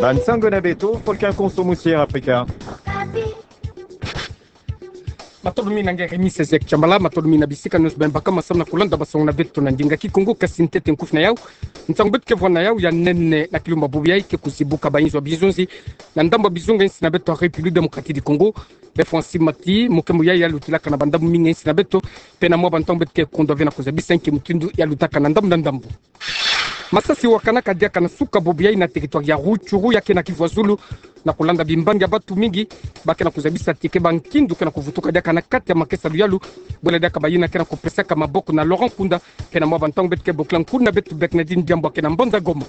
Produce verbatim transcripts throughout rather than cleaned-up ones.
Ba nsangu na beto, Volcan Konso Musière Afrika. Matondo mingi na nge Rémi Sezek Chambala, matondo mingi na bisika nyonso beno baka ma samu na kulanda basangu na beto na ndinga Kikongo. Kasi ntete nkufi na yau, ntangu beto ke vwa na yau ya nene na kilumbu bubu yayi ke kuzibuka ba inzo ya bizonzi na ndambu ya bizunga insi na beto ya République Démocratique du Congo. Be Francis Mati, mukembo yayi ya lutilaka na ba ndambu mingi insi na beto, pena mwa ba ntangu beto ke kondwa ve na kuzabisa nki mutindu ya lutaka na ndambu na ndambu. Masasi wakanaka diaka na suka bubu yayi na territoire ya Rutshuru, ya ke na Kivu ya Zulu, na kulanda bimbangi ya batu mingi ba ke na kuzabisa ti ke ba nkindu ke na kuvutuka diaka na kati ya makesa luyalu, bwela diaka bayina ke na kupesaka maboko na Laurent Nkunda, pena mwa ba ntangu beto ke bokila nkuna beto Bernardine Diambu, a ke na mbanza Goma.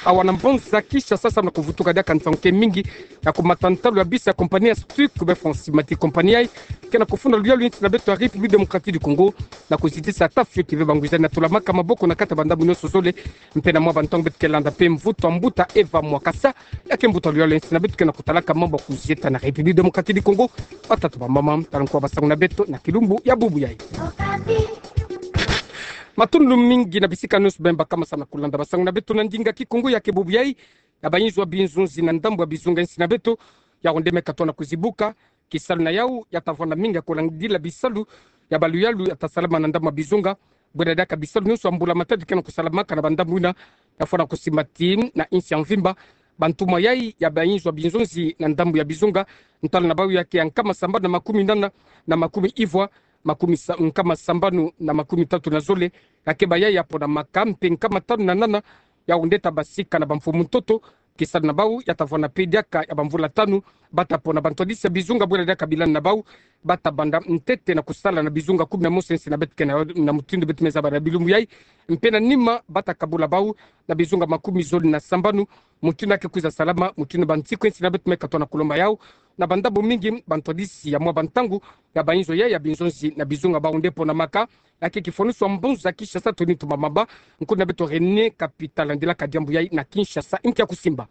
Awa na mbanza Kinshasa, samu na kuvutuka diaka ntangu ke mingi ya kumata ntalu ya bisi ya compagnie ya Stuc, be Francis Mati, compagnie yayi ke na kufunda luyalu insi na beto ya République Démocratique du Congo, na kuzitisa ata fioti ve ba ngwizani na tulamaka maboko na kati ya ba ndambu nyonso zole. Mpena mwa ba ntangu beto ke landa pe mvutu ya mbuta Eva Mwakasa, ya ke mbuta luyalu insi na beto ke na kutalaka mambu ya kuzieta na République Démocratique du Congo. Batata, bamama, tala nkwa basangu na beto na kilumbu ya bubu yayi. Matondo mingi na bisika nyonso beno baka ma samu na kulanda basangu na beto na ndinga Kikongo ya ke bubu yayi, ya ba inzo ya bizonzi na ndambu ya bizunga insi na beto, yau nde me katwa na kuzibuka. Kisalu na yau ya ta vwanda mingi ya kulandila bisalu ya ba luyalu ya ta salama na ndambu ya bizunga. Bwela diaka bisalu nyonso ya mbula matadi ke na kusalamaka na ba ndambu yina, ya fwana kusimba ti na insi ya mvimba. Ba ntumwa yayi ya ba inzo ya bizonzi na ndambu ya bizunga, ntalu na bau ya ke ya nkama sambanu na makumi nana na makumi ivwa, makumi sa-, nkama sambanu na makumi tatu na zole, ya ke bayayi ya ponamaka, mpe nkama tanu na nana yau nde ta basika na ba mfumu ntoto. Kisalu na bau ya ta vwanda pe diaka ya ba mvula tanu, ba ta pona ba ntwadisi ya bizunga, bwela diaka bilan na bau ba ta banda ntete na kusala na bizunga kumi na mosi insi na beto ke na, na mutindu beto me zaba na bilumbu yayi. Mpe na nima ba ta kabula bau na bizunga makumi zole na sambanu, mutindu ya ke kwiza salama, mutindu ba nsiku insi na beto me katwa na kulomba yau. Na ba ndambu mingi, ba ntwadisi ya mwa ba ntangu ya ba inzo yayi ya bizonzi na bizunga bau nde ponamaka, ya ke kifwanusu ya mbanza Kinshasa, Tony Ntumba Mamba, nkuna beto René Capital, landilaka diambu yayi na Kinshasa. Nki ya kusimba?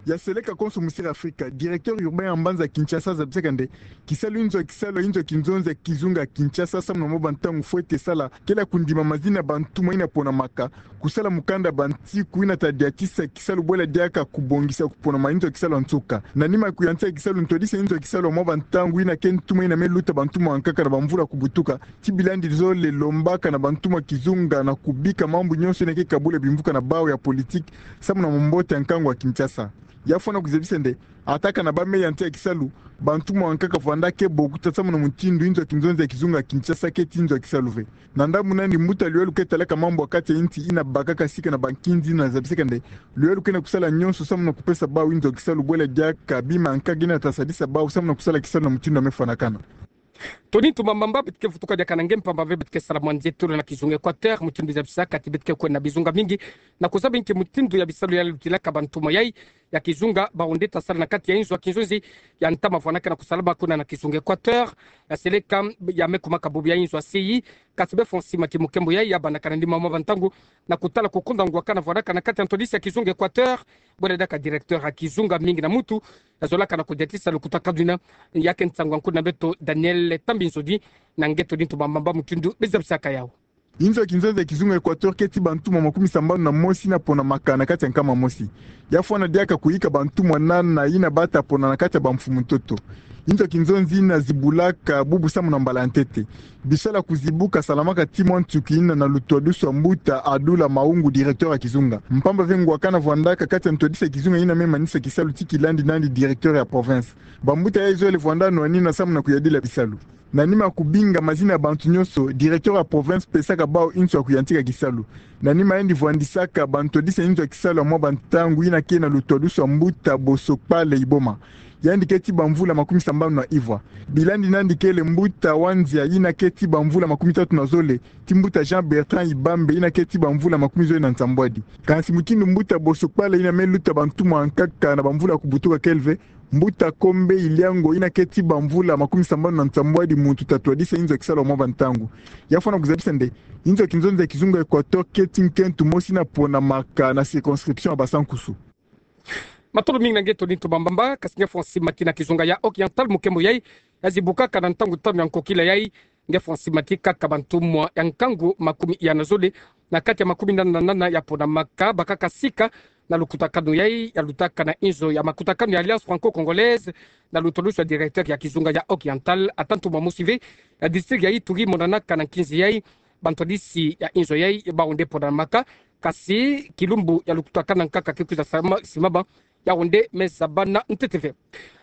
Ya seleka konso Musière Afrika, directeur urbain ya mbanza Kinshasa azabisaka nde kisalu inzo ya kisalu ya inzo ya kinzonzi ya kizunga ya Kinshasa samu na mwa ba ntangu fwete sala kele ya kundima mazina ya ba ntumwa yina ponamaka, kusala mukanda ya ba nsiku yina ta diatisa kisalu, bwela diaka kubongisa kuponama inzo ya kisalu ya nsuka. Na nima ya kuyantika kisalu, ntwadisi ya inzo ya kisalu ya mwa ba ntangu yina ke ntumwa yina me luta ba ntumwa ya nkaka na ba mvula kubutuka, ti bilandi zole lombaka na ba ntumwa ya kizunga na kubika mambu nyonso yina ke kabula bimvuka na bau ya politique samu na mbote ya nkangu ya Kinshasa. Ya fwana kuzabisa nde, ata kana ba me yantika kisalu, ba ntumwa ya nkaka vwanda ke bokuta samu na mutindu inzo ya kinzonzi ya kizunga ya Kinshasa keti inzo ya kisalu ve. Na ndambu nandi, mbuta luyalu ke talaka mambu ya kati ya insi yina bakaka sika na ba nkinzi yina azabisaka nde luyalu ke na kusala nyonso samu na kupesa bau inzo ya kisalu, bwela diaka bima ya nkaka yina ta sadisa bau samu na kusala kisalu na mutindu ya me fwanakana. Tony Ntumba Mamba, beto ke vutuka diaka na nge mpamba ve beto ke sala mwa nzietolo na kizunga Équateur, mutindu zabisaka ti beto ke kwenda na bizunga mingi na kuzaba nki mutindu ya bisalu ya lutilaka ba ntumwa yayi ya kizunga, bau nde ta sala na kati ya inzo ya kinzonzi ya ntama vwanaka na kusalama kuna na kizunga Équateur. Ya seleka ya me kumaka bubu ya inzo ya C I, kasi be Francis Mati, mukembo yayi ya bandaka na nima mwa ba ntangu na kutala kukonda ngwakana vwanaka na kati ya ntwadisi ya kizunga Équateur, bwela diaka directeur ya kizunga mingi na mutu ya zolaka na kudiatisa lukutakanu yina. Ya ke nsangu ya nkuna beto Daniel Tambinzodi na nge Tony Ntumba Mamba, mutindu be zabisaka yau. Inzo ya kinzonzi ya kizunga Équateur keti ba ntumwa makumi sambanu na mosi yina ponamaka na kati ya nkama mosi. Ya fwana diaka kuyika ba ntumwa nana yina ba ta pona na kati ya ba mfumu ntoto. Inzo ya kinzonzi yina zibulaka bubu samu na mbala ya ntete. Bisalu ya kuzibuka salamaka ti mwa nsuki yina na lutwadusu ya mbuta Adula Maungu, directeur ya kizunga. Mpamba ve ngwakana vwandaka kati ya ntwadisi ya kizunga yina me manisa kisalu ti kilandi nandi directeur ya province. Ba mbuta yayi zole vwanda nwanina samu na kuyadila bisalu. Na nima ya kubinga mazina ya bantu nyonso, directeur ya province pesaka bau insu ya kuyantika kisalu. Na nima yandi vwandisaka ba ntwadisi ya inzo ya kisalu ya mwa ba ntangu yina ke na lutwadusu ya mbuta Boso Kpale Iboma. Yandi keti ba mvula makumi sambanu na ivwa. Bilandi nandi kele mbuta Wanzia yina keti ba mvula makumi tatu na zole, ti mbuta Jean Bertrand Ibambe yina keti ba mvula makumi zole na nsambwadi. Kansi mutindu mbuta Boso Kpale yina me luta ba ntumwa ya nkaka na ba mvula kubutuka kele ve, mbuta Kombe Iliango yina keti ba mvula makumi sambanu na nsambwadi muntu ta twadisa inzo ya kisalu ya mwa ba ntangu. Ya fwana kuzabisa nde, inzo ya kinzonzi ya kizunga Équateur keti nkento mosi yina ponamaka na circonscription ya Basankusu. Matondo mingi na nge Tony Ntumba Mamba, kasi nge Francis Mati na kizunga ya Oriental, mukembo yayi ya zibukaka na ntangu tanu ya nkokila yayi. Nge Francis Mati, kaka ba ntumwa ya nkangu makumi iya na zole na kati ya makumi nana na nana ya ponamaka, bakaka sika na lukutakanu yai ya lutaka na inzo ya makutakanu ya Alliance Franco-Congolaise, na lutolosi ya directeur ya kizunga ya Oriental, ata ntumwa mosi ve ya district ya Ituri monanaka na nkinzi yai, bantwadisi ya inzo yai bau nde ponamaka, kasi kilumbu ya lukutakanu nkaka ke kwiza sama-, simama, yau nde me zabana ntete ve.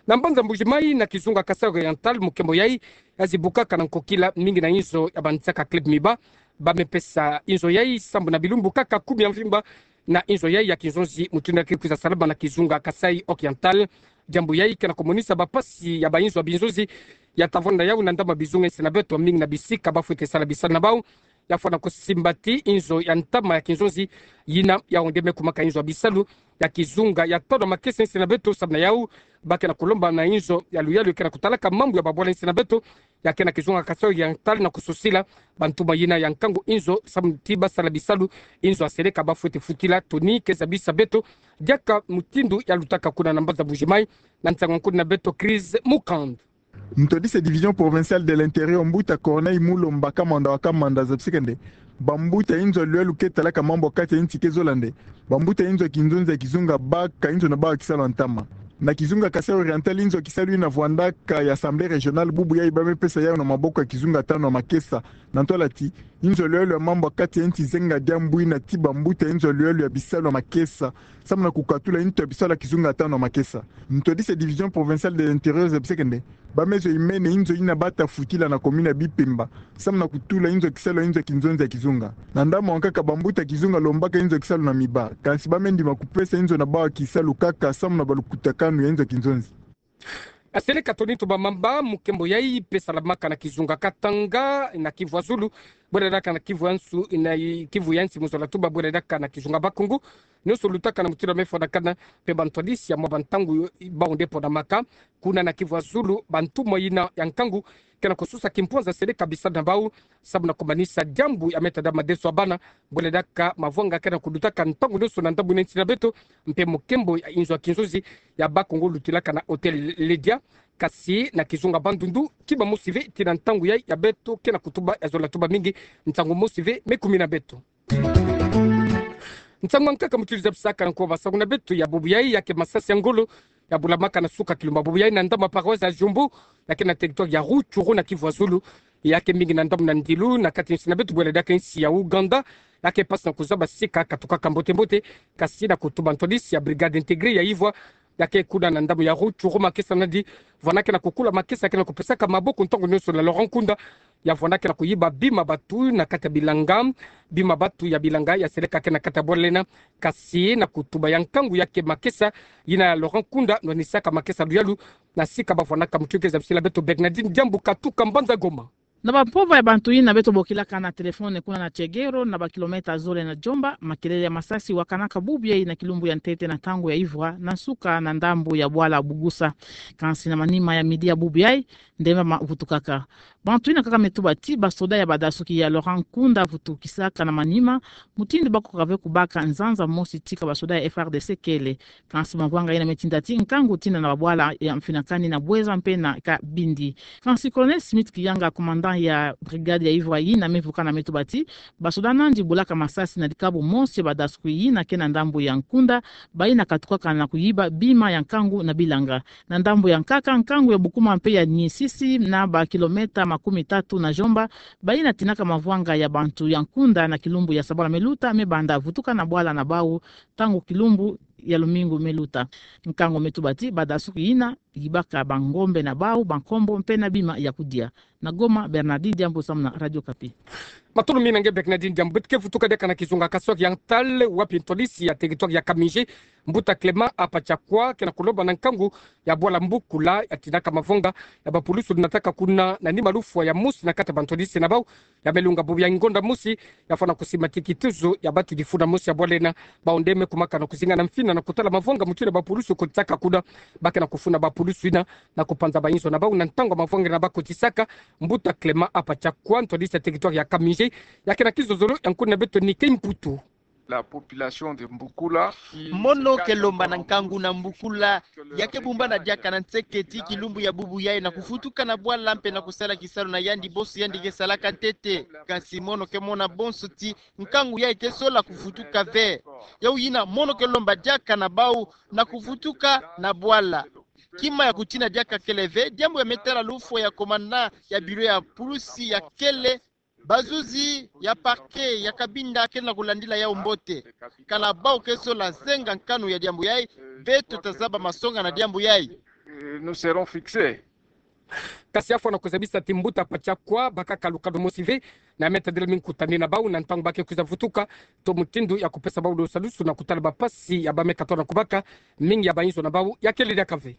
Na mbanza Mbuji-Mayi na kizunga Kasaï Oriental, mukembo yai ya zibukaka na nkokila mingi na inzo ya bansaka club Miba, ba me pesa inzo yai sambu na bilumbu kaka kumi ya mvimba na inzo yai ya kinzonzi mutindu ke kwiza salama na kizunga Kasaï Oriental. Diambu yai ke na kumonisa bapasi ya bainzo ya binzonzi ya tavwanda yau na ndama bizunga nsi na beto, mingi na bisika bafwete sala bisalu na bau, ya fwana kusimbati inzo ya ntama ya kinzonzi yina, yau nde me kumaka inzo ya bisalu ya kizunga ya tolo ya makesa nsi na beto. Samu na yau, ba ke na kulomba na inzo ya luyalu ke na kutalaka mambu ya babwala nsi na beto, ya ke na kizunga Kasaï Oriental, na kususila bantumwa yina ya nkangu inzo samu ti basala bisalu, inzo ya seleka bafwete futila toni ke zabisa beto, diaka mutindu ya lutaka kuna na mbanza Mbuji-Mayi, na nsangu ya nkuna na beto Chris Mukand. Ntwadisi ya Division Provinciale de l'Intérieur, mbuta Corneille Mulomba Kamanda wa Kamanda, zabiseke nde bambuta inzo ya luyalu ke talaka mambu ya kati ya nsi ke zola nde bambuta inzo ya kinzonzi ya kizunga baka inzo na bau ya kisalu ya ntama. Na kizunga Kasaï Oriental, inzo ya kisalu ina vwandaka ya Assemblée Régionale, bubu yai ba me pesa yau na maboko ya kizunga tanu ya makesa. Na ntwala ti inzo ya luyalu ya mambu ya kati ya nsi zenga diambu ina ti bambuta inzo ya luyalu ya bisalu ya makesa samu na kukatula nto ya bisalu ya kizunga tanu ya makesa. Ntwadisi ya Division Provinciale de l'Intérieur zabiseke nde ba me zwa imene inzo ina bata futila na commune ya Bipemba samu na kutula inzo ya kisalu ya inzo ya kinzonzi ya kizunga. Na ndambu ya nkaka, bambuta kizunga lombaka inzo ya kisalu na Miba, kansi ba me ndima kupesa inzo na bau ya kisalu kaka samu na balukutakanu ya inzo ya kinzonzi. Ya seleka toni ntumwa mamba, mukembo yai pe salamaka na kizunga Katanga na Kivu ya Zulu, bwela diaka na Kivu ya nsu, na Kivu ya nsi mu zola tuba, bwela diaka na kizunga Bakungu. Nionso lutaka na mutindu ya me fwanakana, pe bantwadisi ya mwa bantangu bau nde ponamaka kuna na Kivu ya Zulu, bantumwa yina ya nkangu ke na kususa kimpwanza, seleka bisalu na bau samu na kumanisa diambu ya me tada madeso ya bana, bwela diaka mavwanga ke na kulutaka ntangu nionso na ndambu ina nsi na beto, mpe mukembo ya inzo ya kinzonzi ya Bakungu lutilaka na Hôtel Lydia, kasi na kizunga Bandundu, kima mosi ve tii na ntangu yai ya beto ke na kutuba ya zola tuba mingi, nsangu mosi ve me kumi na beto. Nsangu ya nkaka mutindu zabisaka na nko basangu na beto ya bubu yai, ya ke masasi ya ngolo ya bulamaka na suka kilumbu ya bubu yai na ndambu ya paroisse ya Djumbu, ya ke na territoire ya Rutshuru na Kivu ya Zulu, ya ke mingi na ndambu na ndilu na kati nsi na beto, bwela diaka nsi ya Ouganda, ya ke pasi na kuzaba sika katukaka mbote mbote, kasi na kutuba ntwadisi ya brigade intégrée ya ivwa, ya ke kuna na ndambu ya Rutshuru, makesa nadi vwana ke na kukula, makesa ke na kupesaka maboko ntangu nionso na Laurent Nkunda, ya vwana ke na kuyiba bima batu na kati ya bilanga, bima batu ya bilanga ya seleka ke na kati ya bwala ina, kasi na kutuba ya nkangu ya ke makesa yina ya Laurent Nkunda nwanisaka makesa luyalu na sika ba vwanaka. Mutindu ke zabisila beto Bernadine Diambu katuka mbanza Goma. Na bampova ya bantu yina beto bokilaka na téléphone kuna na Tchegero, na bakilomètre zole na Djomba, makelele ya masasi wakanaka bubu yai na kilumbu ya ntete na ntangu ya ivwa, na nsuka na ndambu ya bwala Bugusa. Kansi na manima ya midi ya bubu yai, ndemba mavutukaka. Bantu yina nkaka me tuba ti basoda ya badasuki ya Laurent Nkunda vutukisaka na manima mutindu bakokaka ve kubaka nzanza mosi tika basoda ya F R D C kele. Kansi mavwanga yina me tinda ti nkangu tina na babwala ya Mfinakani, na Bouenza mpe na Kabindi. Kansi Colonel Smith Kiyanga, commandant ya brigade ya ivwa yina me vukana, me tuba ti basoda nandi bulaka masasi na likabu mosi ya badasuki yina ke na ndambu ya Nkunda, bayina katukaka na kuyiba bima ya nkangu na bilanga. Na ndambu ya nkaka, nkangu ya Bukuma mpe ya Niisisi, na bakilomètre makumi tatu na Djomba, bayina tinaka mavwanga ya bantu ya Nkunda na kilumbu ya sabala me luta, me banda vutuka na bwala na bau ntangu kilumbu ya lumingu me luta. Nkangu me tuba ti badasuki yina yibaka bangombe na bau, bankombo mpe na bima ya kudia. Na Goma, Bernardine Diambu samu na Radio Okapi. Matondo mingi na nge Bernardine Diambu. Beto ke vutuka diaka na kizunga Kasaï Oriental, wapi ntwadisi ya territoire ya Kamije, mbuta Clément Apachakwa, ke na kulomba na nkangu ya bwala Mbukula ya tinaka mavwanga ya bapulusu lunataka kuna na nima lufwa ya mosi na kati ya bantwadisi na bau, ya me lunga bubu ya ngonda mosi, ya fwana kusimbati kituzo ya batu difuna mosi ya bwala ina. Bau nde me kumaka na kuzinga na mfina na kutala mavwanga mutindu bapulusu kotisaka kuna. Ba ke na kufuna bapulusu yina na kupanza bainzo na bau na ntangu mavwanga yina ba kotisaka. Mbuta Clément Apachakwa, ntwadisi ya territoire ya Kamije, ya ke na kizozolo ya nkuna na beto Nike Mputu. la population de Mbukula. Mono ke lomba na nkangu na Mbukula, ya ke bumbana diaka na nseketi kilumbu ya bubu yayi na kuvutuka na bwala mpe na kusala kisalu na yandi bonso yandi ke salaka ntete. Kansi mono ke mona bonso ti nkangu yayi ke sola kuvutuka ve. Yau yina mono ke lomba diaka na bau na kuvutuka na bwala. Kima ya kutina diaka kele ve, diambu ya me tala lufwa ya komanda ya biro ya pulusi ya kele, bazuzi ya parquet ya Cabinda kele na kulandila yau mbote. Kana bau ke sola zenga nkanu ya diambu yayi, beto tazaba masonga na diambu yayi. Euh, nous serons fixés. Kasi afwa na kuzabisa ti mbuta Pachakwa, bakaka lukado mosi ve, na me tadila mi nkutani na bau na ntangu ba ke kwiza vutuka, to mutindu ya kupesa bau lusadusu na kutala bampasi ya ba me katola kubaka, mingi ya bainzo na bau ya kele diaka ve.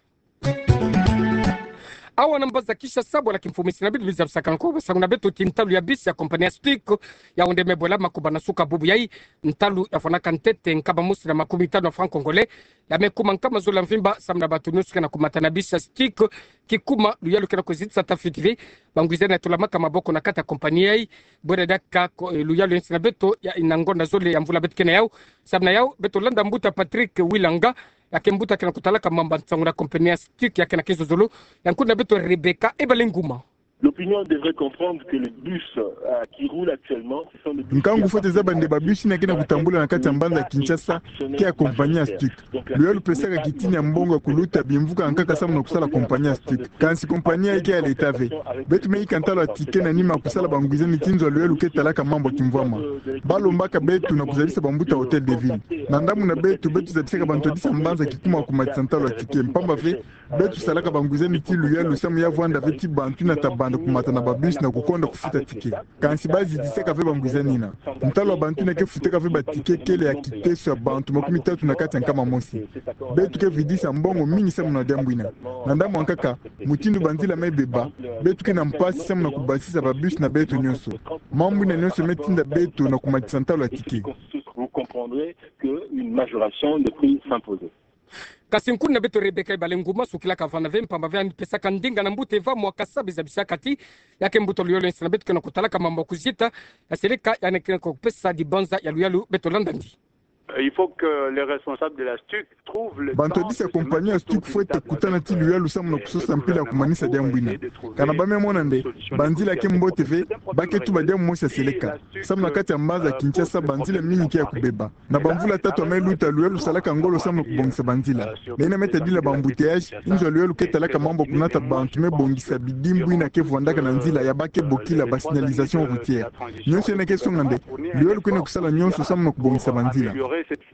Awa na mbaza Kinshasa, bwala kimfumu, nsi na beto luzabisaka nko basangu na beto ti ntalu ya bisi ya compagnie ya STIC, ya onde me bwela makuba na suka bubu yayi, ntalu ya fwanaka ntete nkama mosi na makumi tanu ya francs congolais, ya me kuma nkama zole ya mvimba, samu na bato nyonso ke na kumata na bisi ya STIC, ki kuma luyalu ke na kuzitisa ata fiti ve bangwizani ya tulamaka maboko na kati ya compagnie yayi, bwela diaka ko, eh, luyalu ya nsi na beto ya ina ngonda zole ya mvula beto ke na yau. Samu na yau, beto landa mbuta Patrick Wilanga, ya ke mbuta ke na kutalaka mambu ya nsangu na compagnie ya STIC, ya ke na kizozolo ya nkuna beto Rebecca Ebalenguma. L'opinion devrait comprendre que les bus, euh, qui roulent actuellement, ce sont des bus... Nkangu fwete zaba nde babisi yina ke na kutambula na kati ya mbanza Kinshasa ke ya compagnie ya STIC. Luyalu lupesaka kitini ya mbongo ya kuluta bimvuka nkaka samu na kusala compagnie ya STIC. Kansi compagnie yayi ke ya l'État ve. Beto me yika ntalu ya ticket na nima ya kusala bangwizani ti nzo ya luyalu ke talaka mambu ya kimvwama. Ba lombaka beto na kuzabisa bambuta Hôtel de Ville. Na ndambu na beto, beto zabisaka bantu twadisa mbanza kikuma kumatisa ntalu ya ticket. Mpamba ve, beto salaka bangwizani ti luyalu samu ya vwanda ve ti bantu yina tabanda kumata na babisi na kukonda kufuta ticket. Kansi ba zitisaka ve bangwizani yina. Ntalu ya bantu yina ke futaka ve baticket kele ya kiteso ya bantu makumi tatu na kati ya nkama mosi. Beto ke vidisa mbongo mingi samu na diambu yina. Na ndambu ya nkaka, mutindu banzila me beba, beto ke na mpasi samu na kubasisa babisi na beto nyonso. Mambu yina nyonso me tinda beto na kumatisa ntalu ya ticket. Vous comprendrez qu'une majoration de prix s'impose. Kasi nkuna beto Rebecca Ebalenguma sukilaka vana ve, mpamba ve yandi pesaka ndinga na mbuta Eva Mwakasa, be zabisaka ti ya ke mbuta luyalu ya nsi na beto ke na kutalaka mambu ya kuzita ya seleka, yandi ke na kupesa dibanza ya luyalu. Beto landa ndi. Il faut que les responsables de la STIC trouvent le temps... Bantu twadisa compagnie ya STIC fwete kutana ti luyalu samu na kusosa mpila ya kumanisa diambu yina. Kana ba me mona nde banzila ke mbote ve, ba ke tuba diambu mosi ya seleka. Samu na kati ya mbanza Kinshasa, banzila mingi ke ya kubeba. Na bamvula tatu ya me luta, luyalu lusalaka ngolo samu na kubongisa banzila. Na yina me tadila ba-embouteillage, nzo ya luyalu ke talaka mambu ya kunata bantu me bongisa bidimbu yina ke vwandaka na nzila ya ba ke bokila ba signalisation routière. Nyonso yina ke songa nde luyalu ke na kusala nyonso samu na kubongisa banzila.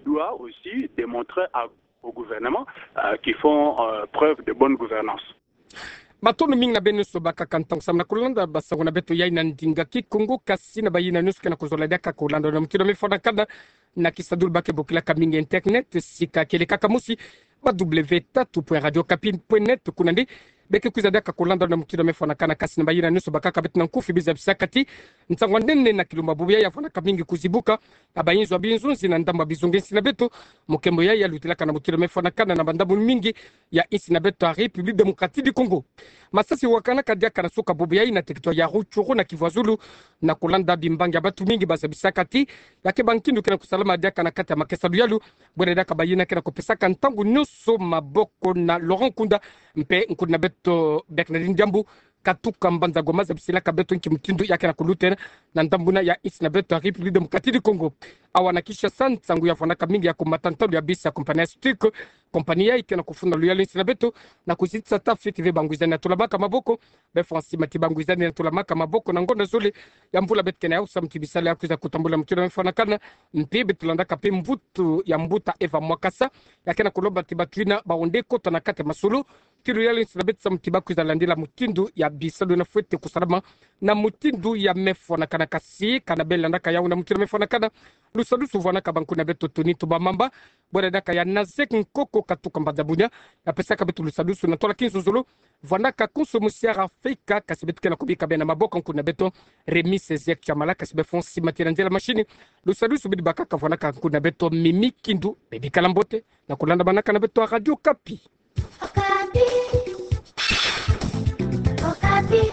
Doit aussi démontrer à, au gouvernement, euh, qu'ils font, euh, preuve de bonne gouvernance. Matondo mingi na beno nyonso bakaka ntangu samu na kulanda basangu na beto yayi na ndinga Kikongo, kasi na bayina nyonso ke na kuzola diaka kulanda na mutindu mefwanakana na kisadulu ba ke bokilaka mingi internet, sika kele kaka mosi, ba w tatu point radio okapi point net, kuna nde be ke kwiza diaka kulanda na mutindu mefwanakana. Kasi na bayina nyonso bakaka beto na nkufi, be zabisaka ti nsangu ya nene na kilumbu bubu yayi ya vwanaka mingi kuzibuka, ya bainzo ya binzonzi na ndambu ya bizongi ya nsi na beto, mukembo yayi ya lutilaka na mutindu mefwanakana na bandambu mingi ya nsi na beto ya République Démocratique du Congo. Masasi wakanaka diaka na suka bubu yayi na territoire ya Rutshuru na Kivu ya Zulu, na kulanda bimbangi ya bantu mingi ba zabisaka ti ya ke ba nkindu ke na kusalama diaka na kati ya makesa luyalu, bwena diaka bayina ke na kupesaka ntangu nyonso maboko na Laurent Nkunda, mpe nkuna beto Bernardine Diambu, katuka mbanza Goma, zabisilaka beto nki mutindu ya ke na kulutela na ndambu yina ya nsi na beto ya République Démocratique du Congo. Awa na Kinshasa, nsangu ya vwanaka mingi ya kumata ntalu ya bisi ya compagnie ya STIC. Compagnie yayi ke na kufunda luyalu ya nsi na beto na kuzitisa ata fiti ve bangwizani ya tulamaka maboko. Befwa nsi mati bangwizani ya tulamaka maboko na ngonda zole ya mvula beto ke na yau samu ti bisalu ya kwiza kutambula mutindu mefwanakana. Mpe beto landaka mpe mvutu ya mbuta Eva Mwakasa, ya ke na kulomba ti bato yina ba onde kota na kati ya masolo ti luyalu ya nsi na beto samu ti ba kwiza landila mutindu ya bisalu yina fwete kusalama na mutindu ya mefwanakana. Kasi kana be landaka yau na mutindu mefwanakana, lusadusu vwanaka ba nkuna beto Tony Tubamamba, bwena diaka ya Nazek Nkoko katuka mbanza Bunia, ya pesaka beto lusadusu na ntwala kizozolo, vwanaka konso musi ya Afrika, kasi beto ke na kubika bena maboko nkuna beto Rémi Césaire Kiamala. Kasi befwa nsi mati na nzila machine, lusadusu bidi bakaka vwanaka nkuna beto Mimi Kindu. Bebikala mbote na kulandamanaka na beto ya Radio Okapi. Okapi. Okapi.